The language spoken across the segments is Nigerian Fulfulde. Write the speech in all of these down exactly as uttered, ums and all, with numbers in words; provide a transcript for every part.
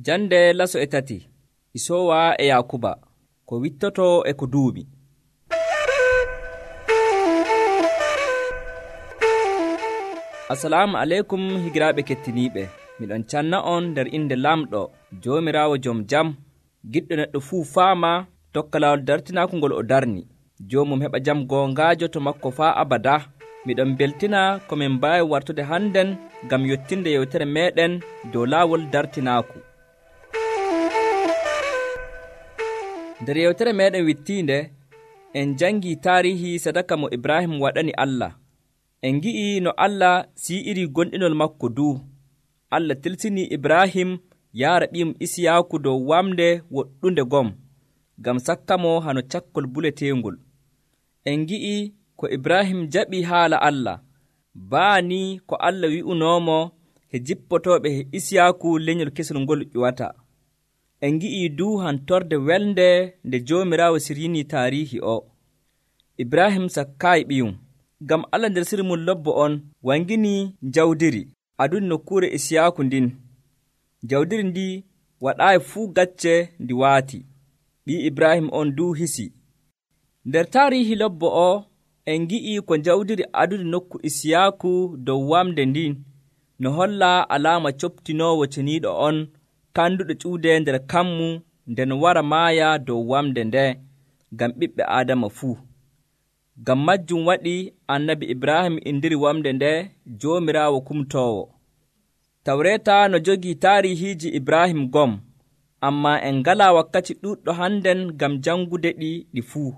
Jande laso e tati Isowa e Yakuba ko wittoto e ko duuɓi. Assalamu aleykum higiraaɓe kettiniiɓe. Miɗon canna on nder inde lamɗo Joomiraawo jom jam, giɗɗo neɗɗo fuu faama tokka laawol dartinaaku ngol o darni. Joomum heɓa jam goongaajo to makko faa abada. Miɗon beltina ko min mbaawi wartude hannden ngam yottinde yewtere meeɗen dow laawol dartinaaku. Nder yewtere meeɗen wittiinde, en jangii taarihi sadaka mo Ibrahim waɗani Allah. En ngi'i no Allah sii'iri gonɗinol makko duu. Allah tilsinii Ibrahim yaara ɓiyum Isiyaaku dow wamde woɗɗunde gom, ngam sakkamo hano cakkol buleteengol. En ngi'i ko Ibrahim jaɓii haala Allah, baani ko Allah wi'unoomo he jippotooɓe he Isiyaaku lenyol kesol ngol ƴuwata. En ngi'i duu hantorde welnde nde Joomiraawo siryinii taariihi o. Ibrahim sakkaayi ɓiyum, ngam Allah nder sirri mum lobbo on wanginii jawdiri aduni nokkuure Isiyaaku ndin. Jawdiri ndi waɗaayi fuu gacce ndi waati. Ɓii Ibrahim on duu hisi. Nder taariihi lobbo o en ngi'i ko jawdiri aduni nokku Isiyaaku dow wamde ndin no holla alaama coptinoowo ceniiɗo on kanduɗo cuude nder kammu nden wara maaya dow wamde nde ngam ɓiɓɓe Aadama fuu. Ngam majjum waɗi annabi Ibrahim indiri wamde nde Joomiraawo kumtoowo. Tawreeta no jogii taarihiiji Ibrahim gom, ammaa en ngalaa wakkati ɗuuɗɗo hannden ngam jangude ɗi ɗi fuu.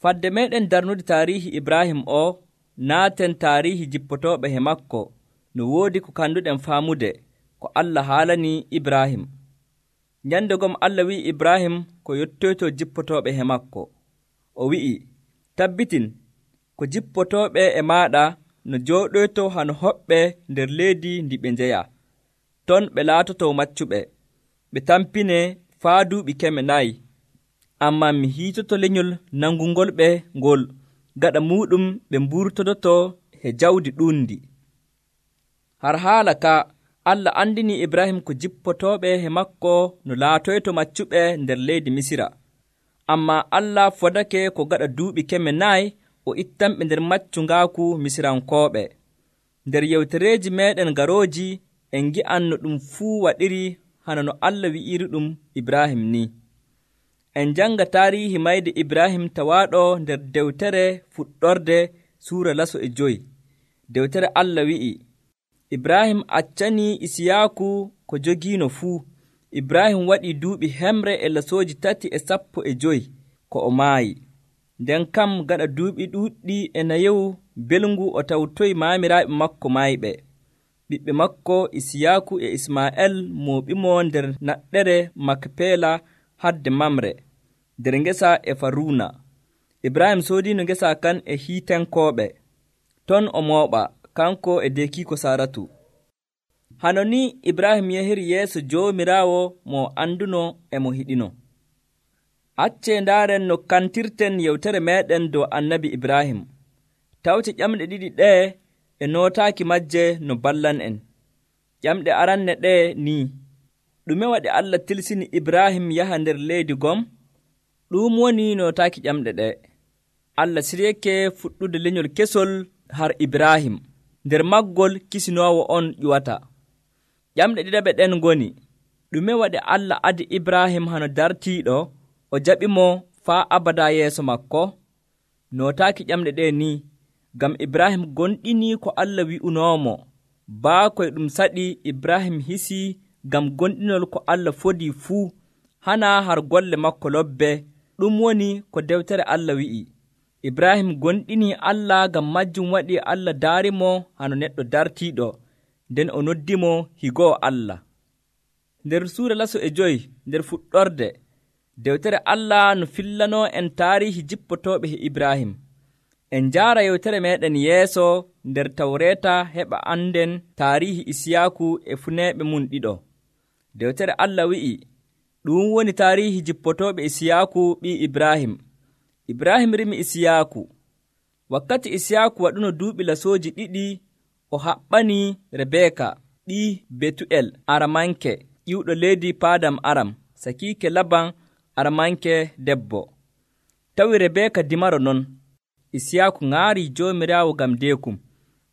Fadde meeɗen darnude taariihi Ibrahim o, naaten taariihi jippotooɓe he makko no woodi ko kanduɗen faamude ko Allah haalanii Ibrahim. Nyande gom Allah wi'i Ibrahim ko yottoyto jippotooɓe he makko. O wi'i, tabbitin ko jippotooɓe e maaɗa no jooɗoyto hano hoɓɓe nder leydi ndi ɓe njeya. Ton ɓe laatoto maccuɓe, ɓe tampine faa duuɓi keme nayi. Ammaa mi hiitoto lenyol nangungolɓe ngol, gaɗa muuɗum ɓe mburtodoto he jawdi ɗuundi. Har haala ka, Allah andini Ibrahim ko jippotooɓe he makko no laatoyto maccuɓe nder leydi Misira. Ammaa Allah fodake ko gaɗa duuɓi keme nayi o ittanɓe nder maccungaaku Misirankooɓe. Nder yewtereeji meeɗen garooji en ngi'an no ɗum fuu waɗiri hana no Allah wi'iri ɗum Ibrahim ni. En janga taariihi mayde Ibrahim tawaaɗo nder dewtere fuɗɗorde suura laso e joyi. Dewtere Allah wi'i, Ibrahim accanii Isiyaaku ko jogiino fuu. Ibrahim waɗii duuɓi hemre e lasooji tati e sappo e joyi ko o maayi. Nden kam gaɗa duuɓi ɗuuɗɗi e nayewu belngu o tawtoyi maamiraaɓe makko maayɓe. Ɓiɓɓe makko Isiyaaku e Ismaa'el mooɓimo nder naɗɗere Makpeela hadde Mamre, nder ngesa e Faruuna. Ibrahim soodiino ngesa kan e Hiitenkooɓe. Ton o mooɓa, kanko e deekiiko Saaratu. Hano ni Ibrahim yahiri yeeso Joomiraawo mo anduno e mo hiɗino. Accee ndaaren no kantirten yewtere meeɗen dow annabi Ibrahim. Tawte ƴamɗe ɗiɗi ɗee e nootaaki majje no ballan en. Ƴamɗe aranne ɗee ni: ɗume waɗi Allah tilsini Ibrahim yaha nder leydi gom? Ɗum woni nootaaki ƴamɗe ɗee. Allah siryake fuɗɗude lenyol kesol har Ibrahim, nder maggol kisinoowo on ƴuwata. Ƴamɗe ɗiɗaɓe ɗen ngoni: ɗume waɗi Allah adi Ibrahim hano dartiiɗo o jaɓimo faa abada yeeso makko? Nootaaki ƴamɗe ɗee ni, ngam Ibrahim gonɗinii ko Allah wi'unoomo. Baakoy ɗum saɗi Ibrahim hisii ngam gonɗinol ko Allah fodii fuu, hana har golle makko lobbe. Ɗum woni ko dewtere Allah wi'i. Ibrahim gonɗinii Allah, ngam majjum waɗi Allah daarimo hano neɗɗo dartiiɗo, nden o noddimo higoo Allah. Nder suura laso e joyi nder fuɗɗorde, dewtere Allah no fillanoo en taariihi jippotooɓe he Ibrahim. En njaara yewtere meeɗen yeeso nder Tawreeta heɓa anden taariihi Isiyaaku e funeeɓe mum ɗiɗo. Dewtere Allah wi'i, ɗum woni taariihi jippotooɓe Isiyaaku ɓii Ibrahim. Ibrahim rimi Isiyaaku. Wakkati Isiyaaku waɗuno duuɓi lasooji ɗiɗi, o haɓɓanii Rebeeka ɓii Betu'el Aramanke ƴiwɗo leydi Paadam Aram, sakiike Laban armanke debbo. Tawi Rebeeka dimaro non, Isiyaaku ŋaarii Joomiraawo ngam deekum.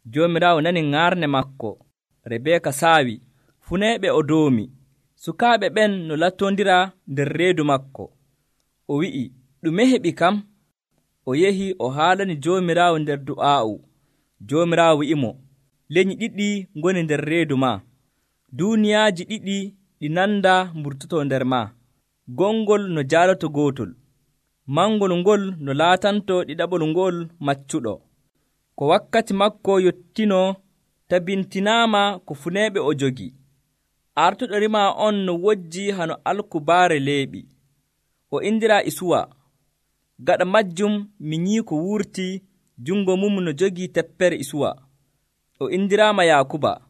Joomiraawo nani ŋaarne maako. Rebeeka saawi, funeeɓe o doomi. Sukaaɓe ɓen no lattondira nder reedu maako. O wi'i, ɗume heɓi kam? O yehi o haalani Joomiraawo nder du'aa'u. Joomiraawo wi'imo, lenyyi ɗiɗi ngoni nder reedu maa. Duuniyaaji ɗiɗi ɗi nanda mburtotoo nder maa. Gongol no jaaloto gootol. Mangol ngol no laatanto ɗiɗaɓol ngol maccuɗo. Ko wakkati makko yottinoo tabintinaama ko funeeɓe o jogi. Artuɗo rimaa on no wojji hano alkubaare leeɓi. O indiraa Isuwa. Gaɗa majjum mi nyii ko wurtii jungo mum no jogii teppere Isuwa. O indiraama Yaakuba.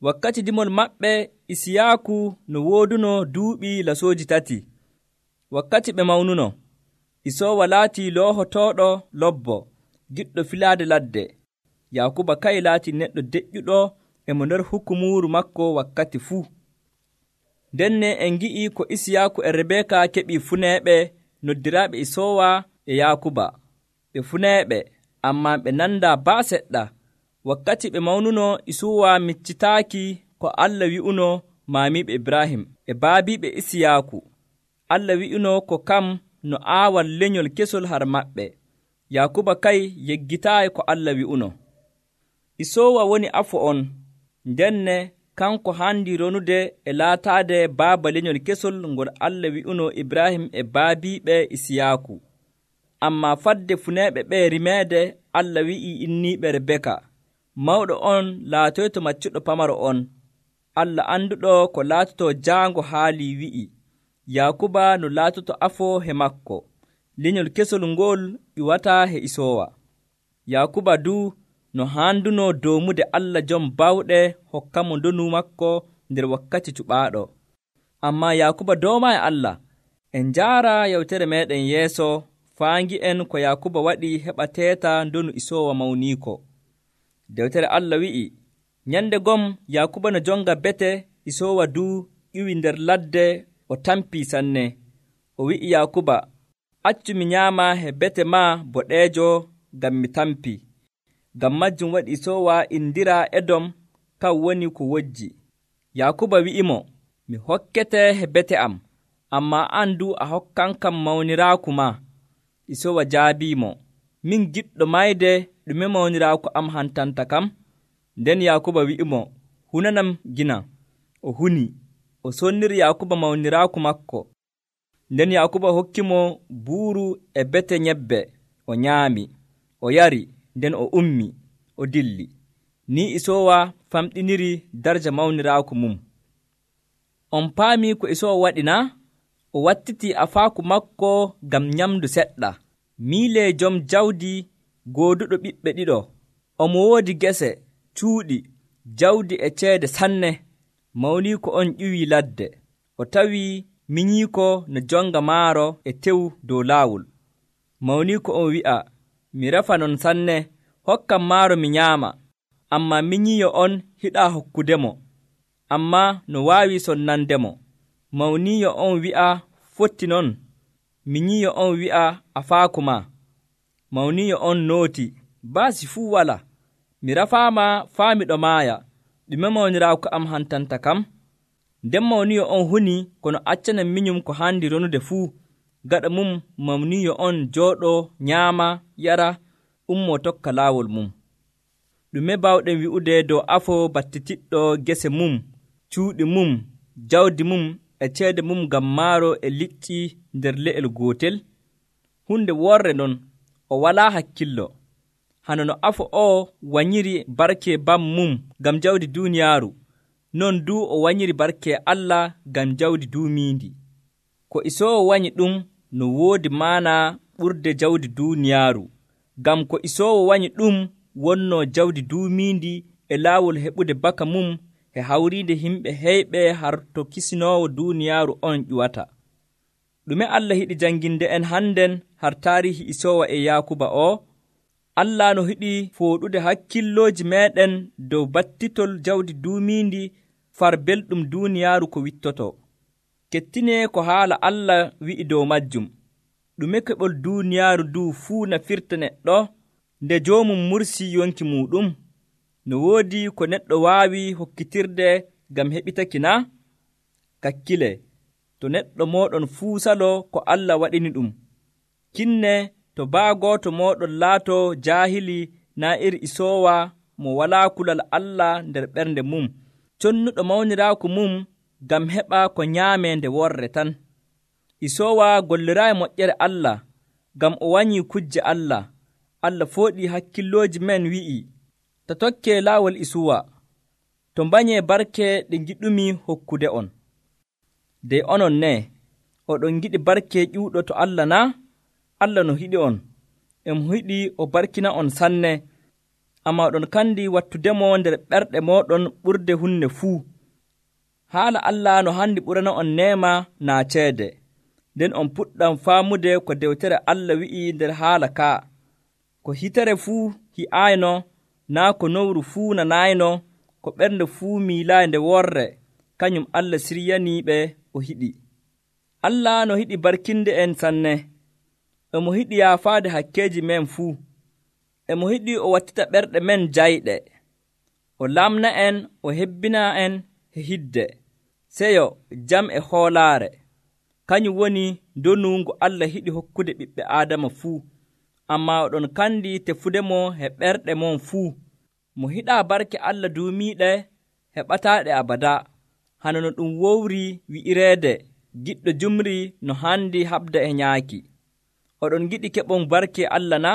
Wakkati dimol maɓɓe Isiyaaku no wooduno duuɓi lasooji tati. Wakkati ɓe mawnuno, Isoowa laatii loohotooɗo lobbo, giɗɗo filaade ladde. Yaakuba kay laatii neɗɗo deƴƴuɗo e mo nder hukumuuru makko wakkati fuu. Ndenne en ngi'ii ko Isiyaaku e Rebeeka keɓii funeeɓe noddiraaɓe Isoowa e Yaakuba. Ɓe funeeɓe, ammaa ɓe nandaa baa seɗɗa. Wakkati ɓe mawnuno, Isuwa miccitaaki ko Allah wi'uno maamiiɓe Ibrahim e baabiiɓe Isiyaaku. Allah wi'uno ko kam no aawal lenyol kesol har maɓɓe. Yaakuba kay yeggitaayi ko Allah wi'uno. Isoowa woni afo on, ndenne kanko haandi ronude e laataade baaba lenyol kesol ngol Allah wi'uno Ibrahim e baabiiɓe Isiyaaku. Ammaa fadde funeeɓe ɓe rimeede, Allah wi'ii inniiɓe Rebeka, mawɗo on laatoyto maccuɗo pamaro on. Allah annduɗo ko laatotoo jaango haalii wi'i, Yaakuba no laatoto afo he makko. Lenyol kesol ngol ƴuwataa he Isoowa. Yaakuba duu no haanduno doomude Allah jom bawɗe hokkamo ndonu makko nder wakkati cuɓaaɗo. Ammaa Yaakuba doomaayi Allah. En njaara yewtere meeɗen yeeso faangi'en ko Yaakuba waɗi heɓa teeta ndonu Isoowa mawniiko. Dewtere Allah wi'i, nyande gom Yaakuba no jonga bete, Isoowa duu ƴiwi nder ladde o tampii sanne. O wi'i Yaakuba, accu mi nyaama he bete maa boɗeejo ngam mi tampii. Ngam majjum waɗi Isoowa indiraa Edom, kan woni ko wojji. Yaakuba wi'imo, mi hokkete he bete am, ammaa an duu a hokkankam mawniraaku maa. Isoowa jaabiimo, min giɗɗo mayde, ɗume mawniraaku am hantanta kam? Nden Yaakuba wi'imo, hunanam gina. O huni. O sonniri Yaakuba mawniraaku makko. Nden Yaakuba hokkimo buuru e bete nyebbe. O nyaami, o yari, nden o ummi, o dilli. Ni Isoowa famɗiniri darja mawniraaku mum. On paamii ko Isoowa waɗi na? O wattitii afaaku makko ngam nyamdu seɗɗa. Miilee jom jawdi gooduɗo ɓiɓɓe ɗiɗo. Omo woodi gese, cuuɗi, jawdi e ceede sanne. Mawniiko on ƴiwii ladde. O tawii minyiiko no jonga maaro e tew dow laawol. Mawniiko on wi'a, mi refa non sanne, hokkam maaro mi nyaama. Ammaa minyiiyo on hiɗaa hokkudemo, ammaa no waawi sonnandemo. Mawniiyo on wi'a, fotti non. Minyiiyo on wi'a, afaaku maa. Mawniiyo on nooti, baasi fuu walaa. Mi rafaama faa miɗo maaya. Ɗume mawniraaku am hantanta kam? Nden mawniiyo on huni kono accana minyum ko haandi ronude fuu. Gaɗa mum mawniiyo on jooɗoo nyaama yara ummoo tokka laawol mum. Ɗume baawɗen wi'ude dow afo battitiɗɗo gese mum, cuuɗi mum, jawdi mum e ceede mum ngam maaro e liƴƴi nder le'el gootel? Hunde worre non, o walaa hakkillo. Hano no afo o wanyiri barke bam mum ngam jawdi duuniyaaru, non duu o wanyiri barke Allah ngam jawdi duumiindi. Ko Isoowa wanyi ɗum no woodi maana ɓurde jawdi duuniyaaru, ngam ko Isoowa wanyi ɗum wonnoo jawdi duumiindi e laawol heɓude baka mum e hawriide himɓe heyɓe har to kisinoowo duuniyaaru on ƴuwata. Ɗume Allah hiɗi jannginde en hannden har taarihi Isoowa e Yaakuba o? Allah no hiɗi fooɗude hakkillooji meeɗen dow battitol jawdi duumiindi far belɗum duuniyaaru ko wittoto. Kettinee ko haala Allah wi'i dow majjum. Ɗume keɓol duuniyaaru ndu fuu nafirta neɗɗo nde joomum mursii yonki muuɗum? No woodi ko neɗɗo waawi hokkitirde ngam heɓitaki na? Kakkile, to neɗɗo mooɗon fuu saloo ko Allah waɗini ɗum. Kinne to baago to mooɗon laatoo jaahili naa iri isoowa mo walaa kulal Allah nder ɓernde mum, connuɗo mawniraaku mum ngam heɓa ko nyaamee nde worre tan. Isoowa golliraayi moƴƴere Allah ngam o wanyii kujje Allah. Allah fooɗii hakkillooji men wi'ii, ta tokkee laawol Isuwa, to mbanyee barke ɗe ngiɗumi hokkude on. Dey onon ne, oɗon ngiɗi barke ƴuuɗo to Allah naa? Allah no hiɗi on, e mo hiɗi o barkina on sanne, ammaa oɗon kandi wattudemo nder ɓerɗe mooɗon ɓurde hunde fuu. Haala Allah no handi ɓurana on neema naa ceede, nden on puɗɗam faamude ko dewtere Allah wi'i nder haala kaa. Ko hitere fuu hi'aayno, naa ko nowru fuu nanayno, ko ɓernde fuu miilaayi nde worre, kañum Allah siryaniiɓe o hiɗi. Allah no hiɗi barkinde en sanne, e mo hiɗi yaafaade hakkeeji men fuu, e mo hiɗi o wattita ɓerɗe men jayɗe, o lamna en, o hebbina en he hidde, seyo, jam e hoolaare. Kañum woni ndonu ngu Allah hiɗi hokkude ɓiɓɓe Aadama fuu, ammaa oɗon kandi tefudemo he ɓerɗe mon fuu. Mo hiɗaa barke Allah duumiiɗe heɓataaɗe abada, hano no ɗum wowri wi'ireede, giɗɗo jumri no handi haɓda e nyaaki. Oɗon giɗi keɓon barke Allah na?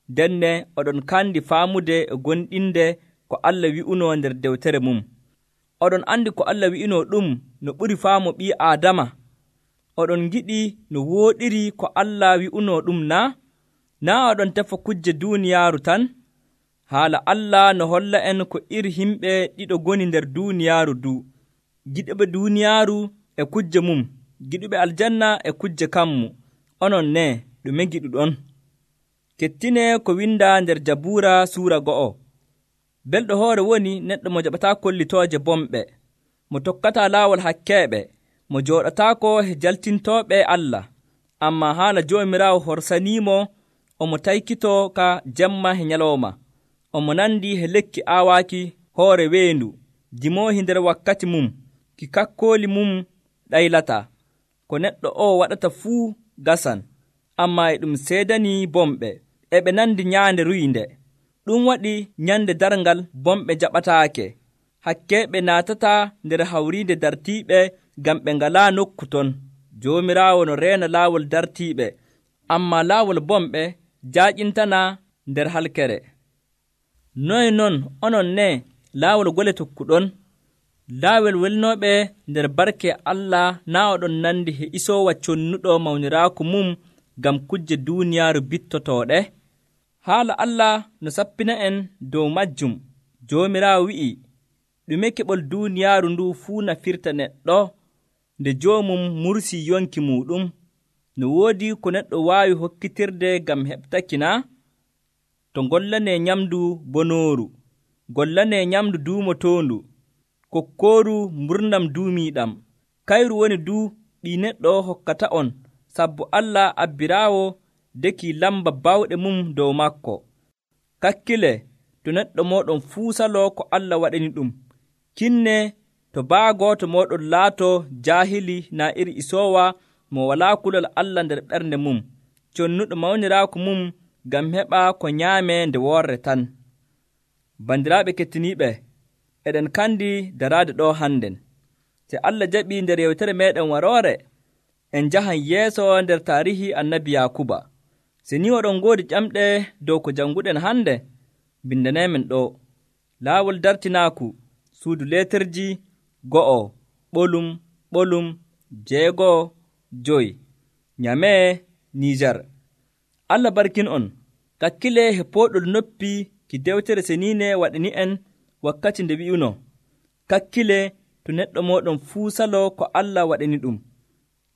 Denne oɗon kandi faamude e gonɗinde ko Allah wi'unoo nder dewtere mum. Oɗon andi ko Allah wi'unoo ɗum no ɓuri faamu ɓii Aadama. Oɗon giɗi no wooɗiri ko Allah wi'unoo ɗum na? Naa oɗon tefa kujje duuniyaaru tan? Haala Allah no holla en ko iri himɓe ɗiɗo goni nder duuniyaaru du, giɗuɓe duuniyaaru e kujje mum, giɗuɓe aljanna e kujje kammu. Onon ne, ɗume giɗuɗon? Kettinee ko windaa nder Jabuura suura go'o. Belɗo hoore woni neɗɗo mo jaɓataa kollitooje bomɓe, mo tokkataa laawol hakkeeɓe, mo jooɗataako he jaltintooɓe Allah. Ammaa haala Joomiraawo horsaniimo, omo taykitoo ka jemma he nyalawma. Omo nandi he lekki aawaaki hoore weendu, dimoohi nder wakkati mum, ki kakkooli mum ɗaylataa. Ko neɗɗo o waɗata fuu gasan, ammaa e ɗum seedanii bomɓe, e ɓe nandi nyaande ruyinde. Ɗum waɗi nyande darngal bomɓe jaɓataake. Hakkeeɓe naatataa nder hawriinde dartiiɓe ngam ɓe ngalaa nokku ton. Joomiraawo no reena laawol dartiiɓe, ammaa laawol bomɓe jaaƴintanaa nder halkere. Noye non onon ne laawol gole tokkuɗon? Laawol welnooɓe nder barke Allah naa oɗon nandi he isoowa connuɗo mawniraaku mum ngam kujje duuniyaaru bittotooɗe? Haala Allah no sappina en dow majjum. Joomiraawo wi'i, ɗume keɓol duuniyaaru ndu fuu nafirta neɗɗo nde joomum mursii yonki muuɗum? No woodi ko neɗɗo waawi hokkitirde ngam heɓtaki na? To ngollanee nyamndu bonooru, gollanee nyamndu duumotoondu, kokkooru mburnam duumiiɗam. Kayru woni du ɗi neɗɗo hokkata on, sabbu Allah abbiraawo deki lamba bawɗe mum dow makko. Kakkile, to neɗɗo mooɗon fuu saloo ko Allah waɗani ɗum. Kinne to baago to mooɗon laatoo jaahili naa iri isoowa mo walaa kulal Allah nder ɓernde mum, connuɗo mawniraaku mum ngam heɓa ko nyaamee nde worre tan. Bandiraaɓe kettiniiɓe, eɗen kandi daraade ɗo hannden. Se Allah jaɓii nder yewtere meeɗen waroore, en njahan yeeso nder taarihi annabi Yaakuba. Se ni oɗon ngoodi ƴamɗe dow ko jannguɗen hannde, bindaneemen ɗo. Laawol dartinaaku, suudu leeterji go'o, ɓolum, ɓolum, jeego'o, joyi, Nyamee, Niijar. Allah barkin on, kakkile he pooɗol noppi ki dewtere seniine waɗani en wakkati nde wi'uno, kakkile to neɗɗo mooɗon fuu saloo ko Allah waɗani ɗum.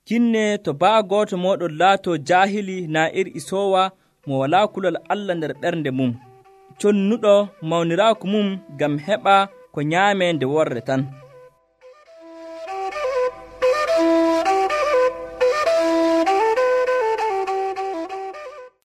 Kinne to baago to mooɗon laatoo jaahili naa iri isoowa mo walaa kulal Allah nder ɓernde mum, connuɗo mawniraaku mum ngam heɓa ko nyaamee nde worre tan.